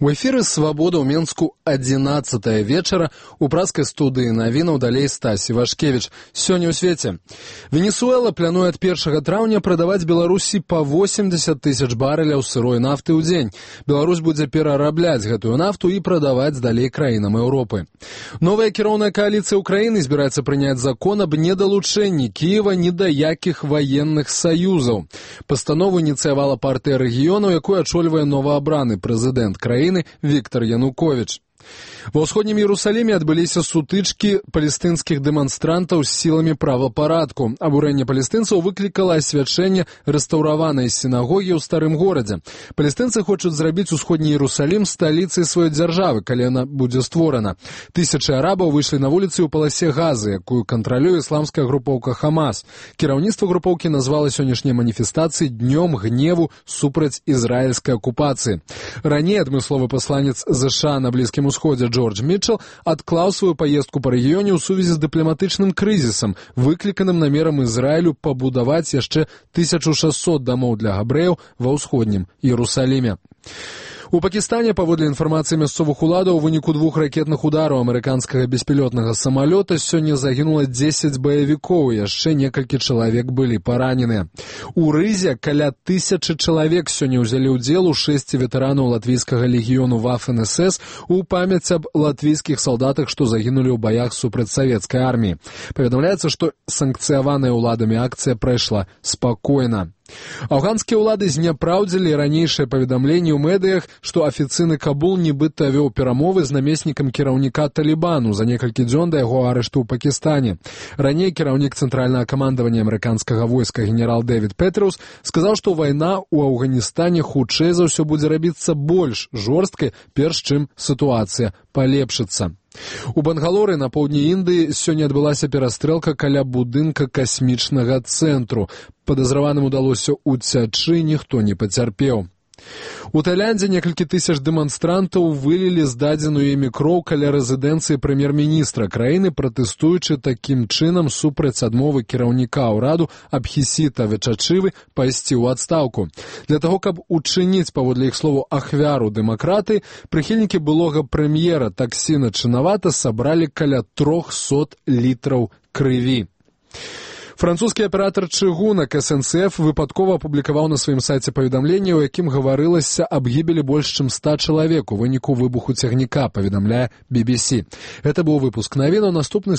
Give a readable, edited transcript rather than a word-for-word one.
У эфіры «Свабода» ў Менску 11 вечара. У праскай студыі навінаў далей Стась Івашкевіч. Сёння ў свеце. Венесуэла плануе ад 1 траўня прадаваць Беларусі па 80 тысяч барэляў сырой нафты ў дзень. Беларусь будзе перарабляць гэтую нафту і прадаваць далей краінам Еўропы. Новая кіроўная кааліцыя ўкраіны збіраецца прыняць закон аб недалучэнні Кіева ні да якіх ваенных саюзаў. Пастанову ініцыявала партыя рэгіёнаў, якую ачольвае новаабраны прэзідэнт краіны Віктор Януковіч. Ва ўсходнім Іерусаліме адбыліся сутычкі палестынскіх дэманстрантаў з сіламі правапарадку. Абурэнне палестынцаў выклікала асвячэнне рэстаўраванай сінагогі ў старым горадзе. Палестынцы хочуць зрабіць усходні Іерусалім сталіцай сваёй дзяржавы, калі яна будзе створана. Тысячы арабаў выйшлі на вуліцы ў паласе Газы, якую кантралюе ісламская групоўка Хамас. Кіраўніцтва групоўкі назвала сённяшнія маніфестацыі днём гневу супраць ізраільскай акупацыі. Раней адмысловы пасланец ЗША на Блізкім Усходзе Джордж Мітчел адклаў сваю паездку па рэгіёне ў сувязі з дыпламатычным крызісам, выкліканым намерам Ізраілю пабудаваць яшчэ 1600 дамоў для габрэяў ва ўсходнім Іерусаліме. У Пакістане, паводле інфармацыі мясцовых уладаў, у выніку 2 ракетных удараў амерыканскага беспілотнага самалёта сёння загінула 10 баевікоў, яшчэ некалькі чалавек былі параненыя. У Рызе каля 1000 чалавек сёння ўзялі ўдзел у 6 ветэранаў латвійскага легіёну Вафен-СС у памяць аб латвійскіх салдатах, што загінулі ў баях супраць савецкай арміі. Паведамляецца, што санкцыяваная ўладамі акцыя прайшла спакойна. Афганскія ўлады зняпраўдзілі ранейшае паведамленне ў медыях, што афіцыйны Кабул нібыта вёў перамовы з намеснікам кіраўніка Талібану за некалькі дзён да яго арышту ў Пакістане. Раней кіраўнік цэнтральнага камандавання амерыканскага войска генерал Дэвід Петрус сказаў, што вайна ў Афганістане хутчэй за ўсё будзе рабіцца больш жорсткай, перш чым сітуацыя палепшыцца. У Бангалоры на поўдні Індыі сёння адбылася перастрэлка каля будынка касмічнага цэнтру. Падазраваным удалося ўцячы, ніхто не пацярпеў. У Таіландзе некалькі тысяч дэманстрантаў вылілі здадзеную імі кроў каля рэзідэнцыі прэм'ер-міністра краіны, пратэстуючы такім чынам супраць адмовы кіраўніка ўраду Абхісіта Вечачывы пайсці ў адстаўку. Для таго, каб учыніць, паводле іх слову, ахвяру дэмакраты, прыхільнікі былога прэм'ера Таксіна Чынавата сабралі каля 300 літраў крыві. Французскі аператар чыгунак SNCF выпадкова апублікаваў на сваім сайце паведамленне, у якім гаварылася аб гібелі больш чым 100 чалавек у выніку выбуху цягніка, паведамляе BBC. Гэта быў выпуск навінаў, наступны